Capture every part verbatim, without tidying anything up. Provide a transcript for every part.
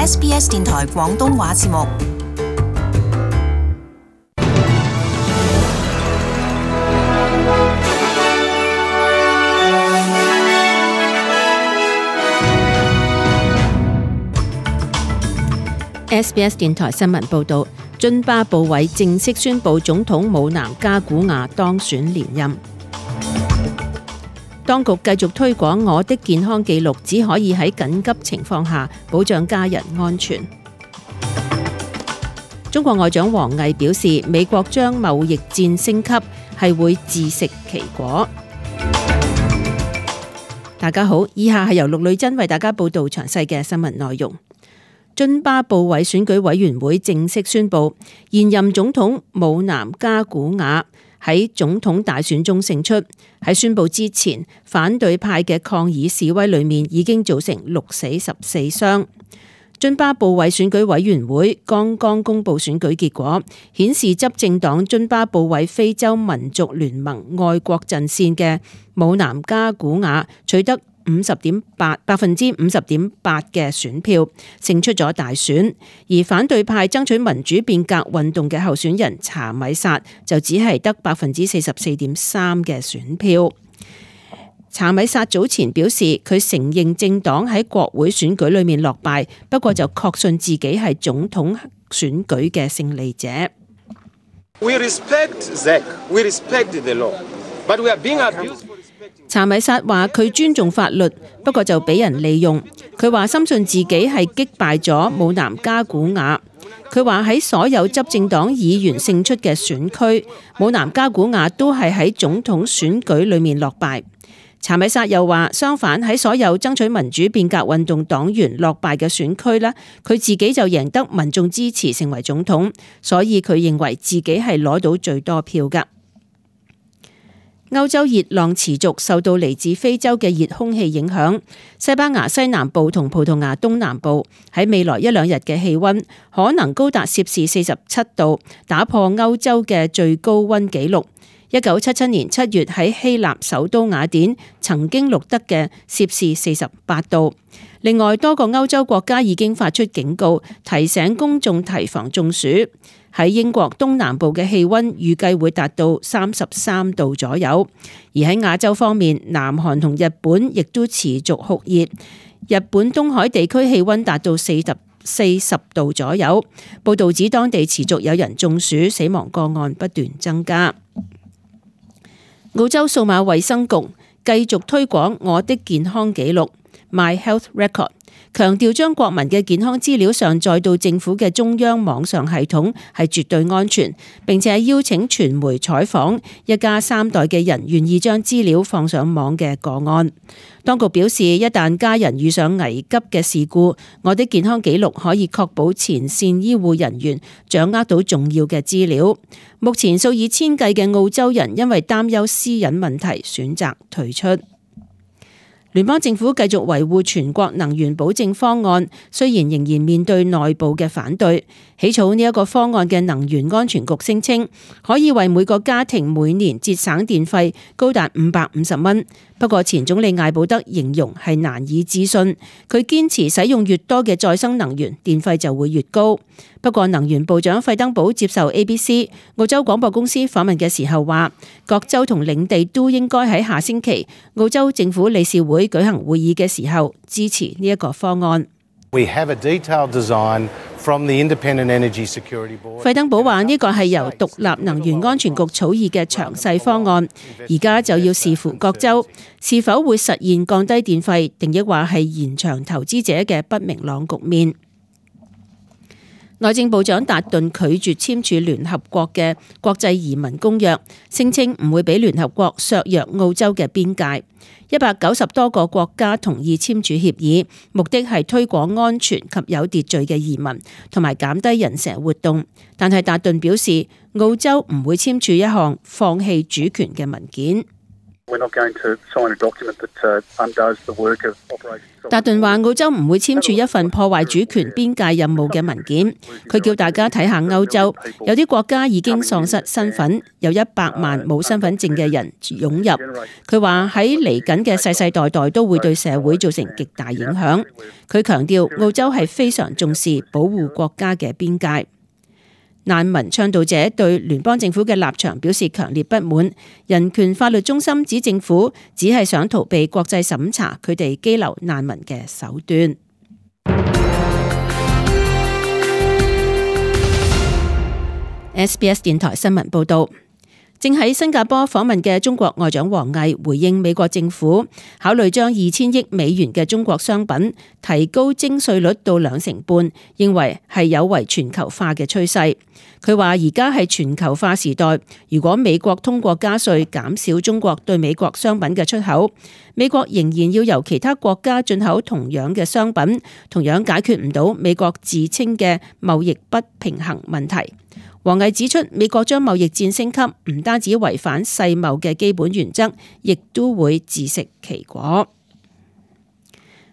S B S 電台廣東話節目。S B S 電台新聞報道，津巴布韋正式宣布總統姆南加古亞當選連任。當局繼續推廣我的健康記錄，只可以喺緊急情況下保障家人安全。中國外長王毅表示，美國將貿易戰升級係會自食其果。大家好，以下係由陸女珍為大家報道詳細嘅新聞內容。津巴布韋選舉委員會正式宣布，現任總統姆南加古亞喺總統大選中勝出。喺宣布之前，反對派嘅抗議示威裏面已經造成六死十四傷。津巴布韋選舉委員會剛剛公布選舉結果，顯示執政黨津巴布韋非洲民族聯盟愛國陣線嘅姆南加古亞取得五十點八百分之五十點八嘅選票，勝出咗大選。而反對派爭取民主變革運動嘅候選人查米薩就只係得百分之四十四點三嘅選票。查米薩早前表示，佢承認政黨喺國會選舉裏面落敗，不過就確信自己係總統選舉嘅勝利者。We respect Zek. We respect the law, but we are being abused. 查米薩話佢尊重法律，不過就俾人利用。佢話深信自己係擊敗咗姆南加古亞。佢話喺所有執政黨議員勝出嘅選區，姆南加古亞都係喺總統選舉裏面落敗。查米薩又話，相反喺所有爭取民主變革運動黨員落敗嘅選區呢，佢自己就贏得民眾支持成為總統，所以佢認為自己係攞到最多票㗎。歐洲熱浪持續，受到嚟自非洲嘅熱空氣影響，西班牙西南部同葡萄牙東南部喺未來一兩日嘅氣溫可能高達攝氏四十七度，打破歐洲嘅最高溫紀錄。一九七七年七月喺希臘首都雅典曾經錄得嘅攝氏四十八度。另外，多個歐洲國家已經發出警告，提醒公眾提防中暑。喺英國東南部嘅氣溫預計會達到三十三度左右，而喺亞洲方面，南韓同日本亦都持續酷熱。日本東海地區氣溫達到四十四十度左右。報導指當地持續有人中暑，死亡個案不斷增加。澳洲數碼衛生局繼續推廣我的健康記錄 My Health Record， 強調將國民嘅健康資料上載到政府嘅中央網上系統係絕對安全，並且邀請傳媒採訪一家三代嘅人願意將資料放上網嘅個案。當局表示，一旦家人遇上危急嘅事故，我的健康記錄可以確保前線醫護人員掌握到重要嘅資料。目前數以千計嘅澳洲人因為擔憂私隱問題選擇退出。聯邦政府繼續維護全國能源保證方案，雖然仍然面對內部嘅反對。起草呢一個方案嘅能源安全局聲稱，可以為每個家庭每年節省電費高達五百五十蚊。不過前總理艾保德形容係難以置信，佢堅持使用越多嘅再生能源，電費就會越高。不過能源部長費登堡接受 A B C 澳洲廣播公司訪問嘅時候話，各州同領地都應該喺下星期澳洲政府理事會舉行會議嘅時候支持呢一個方案。We have a detailed design from the Independent Energy Security Board. 費登堡話呢個係由獨立能源安全局草擬嘅詳細方案，而家就要視乎各州是否會實現降低電費，定抑或係延長投資者嘅不明朗局面。內政部長達頓拒絕簽署聯合國嘅國際移民公約，聲稱唔會俾聯合國削弱澳洲嘅邊界。一百九十多個國家同意簽署協議，目的係推廣安全及有秩序嘅移民，同埋減低人蛇活動。但係達頓表示，澳洲唔會簽署一項放棄主權嘅文件。達頓話澳洲唔會簽署一份破壞主權邊界任務嘅文件。佢叫大家睇下歐洲，有啲國家已經喪失身份，有一百萬冇身份證嘅人湧入。佢話喺嚟緊嘅世世代代都會對社會造成極大影響。佢強調澳洲係非常重視保護國家嘅邊界。難民倡導者對聯邦政府嘅立場表示強烈不滿。人權法律中心指政府只係想逃避國際審查佢哋羈留難民嘅手段。S B S 電台新聞報道。正喺新加坡訪問嘅中國外長王毅回應美國政府考慮將二千億美元嘅中國商品提高徵稅率到兩成半，認為係有違全球化嘅趨勢。佢話而家係全球化時代，如果美國通過加稅減少中國對美國商品嘅出口，美國仍然要由其他國家進口同樣嘅商品，同樣解決唔到美國自稱嘅貿易不平衡問題。王毅指出，美國將貿易戰升級，唔單止違反世貿嘅基本原則，亦都會自食其果。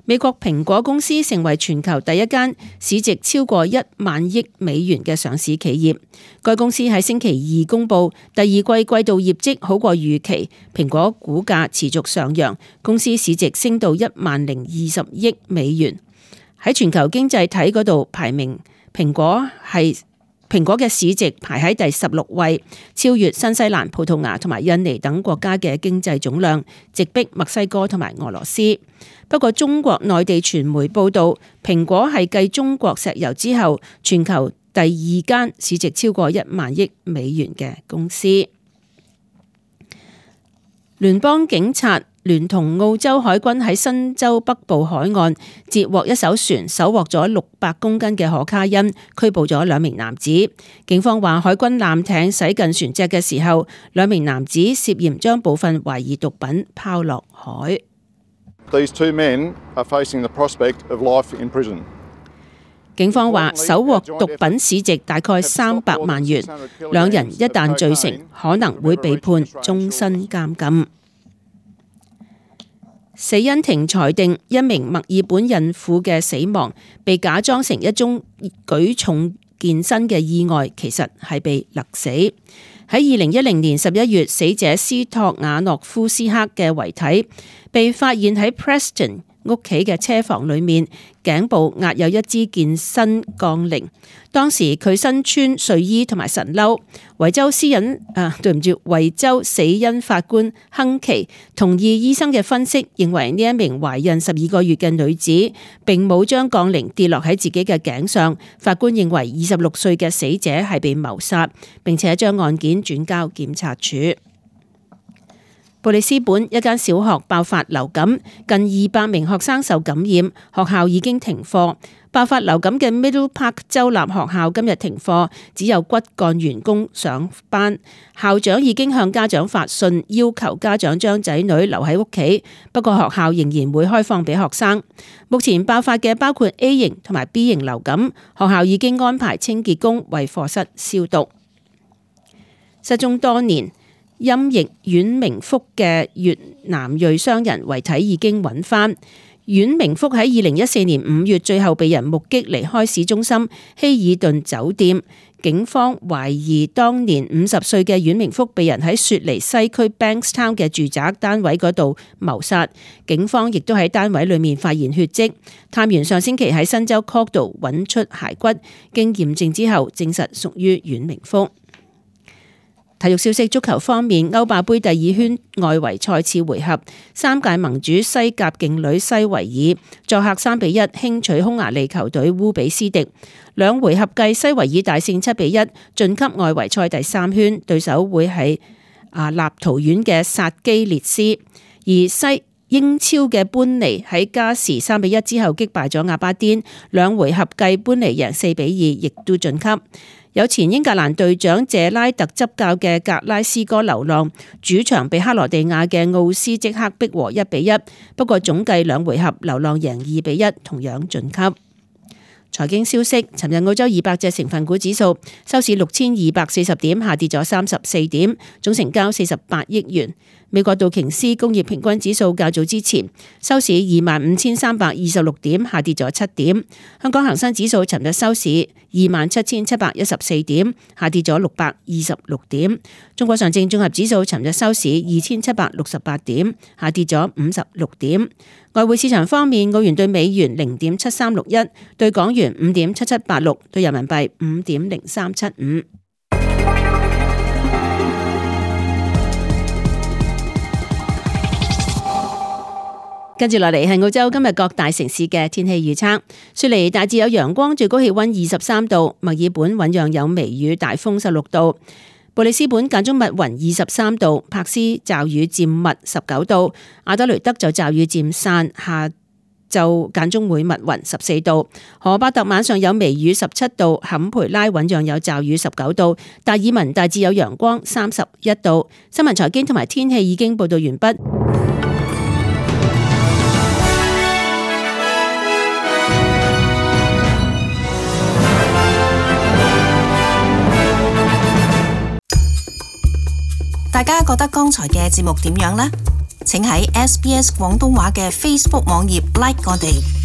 美國蘋果公司成為全球第一間市值超過一萬億美元嘅上市企業。該公司喺星期二公布第二季季度業績好過預期，蘋果股價持續上揚，公司市值升到一萬零二十億美元。喺全球經濟體嗰度排名，蘋果係蘋果嘅市值排喺第十六位，超越新西蘭、葡萄牙同埋印尼等國家嘅經濟總量，直逼墨西哥同埋俄羅斯。不過中國內地傳媒報道，蘋果係繼中國石油之後，全球第二間市值超過一萬億美元嘅公司。聯邦警察聯同澳洲海軍喺新州北部海岸截獲一艘船，搜獲咗六百公斤嘅可卡因，拘捕咗兩名男子。警方話，海軍艦艇駛近船隻嘅時候，兩名男子涉嫌將部分懷疑毒品拋落海。These two men are facing the prospect of life in prison. 警方話，搜獲毒品市值大概三百萬元，兩人一旦罪成，可能會被判終身監禁。死因庭裁定一名墨爾本孕婦嘅死亡被假裝成一宗舉重健身嘅意外，其實係被勒死。喺二零一零年十一月，死者斯托瓦諾夫斯克嘅遺體被發現喺 Preston屋企嘅車房裏面，頸部壓有一支健身槓鈴。當時佢身穿睡衣同埋神褸。維州私隱啊，對唔住，維州死因法官亨奇同意醫生嘅分析，認為呢一名懷孕十二個月嘅女子並冇將槓鈴跌落喺自己嘅頸上。法官認為二十六歲嘅死者係被謀殺，並且將案件轉交檢察署。布里斯本一間小學爆發流感，近二百名學生受感染，學校已經停課。爆發流感嘅 Middle Park 州立學校今日停課，只有骨幹員工上班。校長已經向家長發信，要求家長將仔女留喺屋企，不過學校仍然會開放俾學生。目前爆發嘅包括 A 型同埋 B 型流感，學校已經安排清潔工為課室消毒。失蹤多年音譯阮明福嘅越南裔商人遺體已經揾返。阮明福喺二零一四年五月最後被人目擊離開市中心希爾頓酒店，警方懷疑當年五十歲嘅阮明福被人喺雪梨西區 Bankstown 嘅住宅單位嗰度謀殺，警方亦都喺單位裏面發現血跡。探員上星期喺新州 Cork 度揾出骸骨，經驗證之後證實屬於阮明福。體育消息：足球方面，歐霸盃第二圈外圍賽次回合，三屆盟主西甲勁旅西維爾作客三比一輕取匈牙利球隊烏比斯迪，兩回合計西維爾大勝七比一晉級外圍賽第三圈，對手會係啊立陶宛嘅薩基列斯。而西英超嘅班尼喺加時三比一之後擊敗咗阿巴甸，兩回合計班尼贏四比二，亦都晉級。有前英格蘭隊長謝拉特執教嘅格拉斯哥流浪主場被克羅地亞嘅奧斯即刻逼和一比一，不過總計兩回合流浪贏二比一，同樣晉級。財經消息，尋日澳洲二百隻成分股指數收市六千二百四十點，下跌咗三十四點，總成交四十八億元。美國道瓊斯工業平均指數較早之前收市二萬五千三百二十六點，下跌咗七點。香港恒生指數尋日收市二萬七千七百一十四點，下跌咗六百二十六點。中國上證綜合指數尋日收市二千七百六十八點，下跌咗五十六點。外匯市場方面，澳元對美元零點七三六一，對港元五點七七八六，對人民幣五點零三七五。跟住落嚟係澳洲今日各大城市嘅天氣預測。雪梨大致有陽光，最高氣溫二十三度；墨爾本醞釀有微雨，大風十六度；布里斯本間中密雲二十三度；柏斯驟雨漸密十九度；阿德雷德就驟雨漸散，下晝間中會密雲十四度；荷巴特晚上有微雨十七度；坎培拉醞釀有驟雨十九度；達爾文大致有陽光三十一度。新聞財經同埋天氣已經報道完畢。大家覺得剛才嘅節目點樣呢？請喺 S B S 廣東話嘅 Facebook 網頁 like 我哋。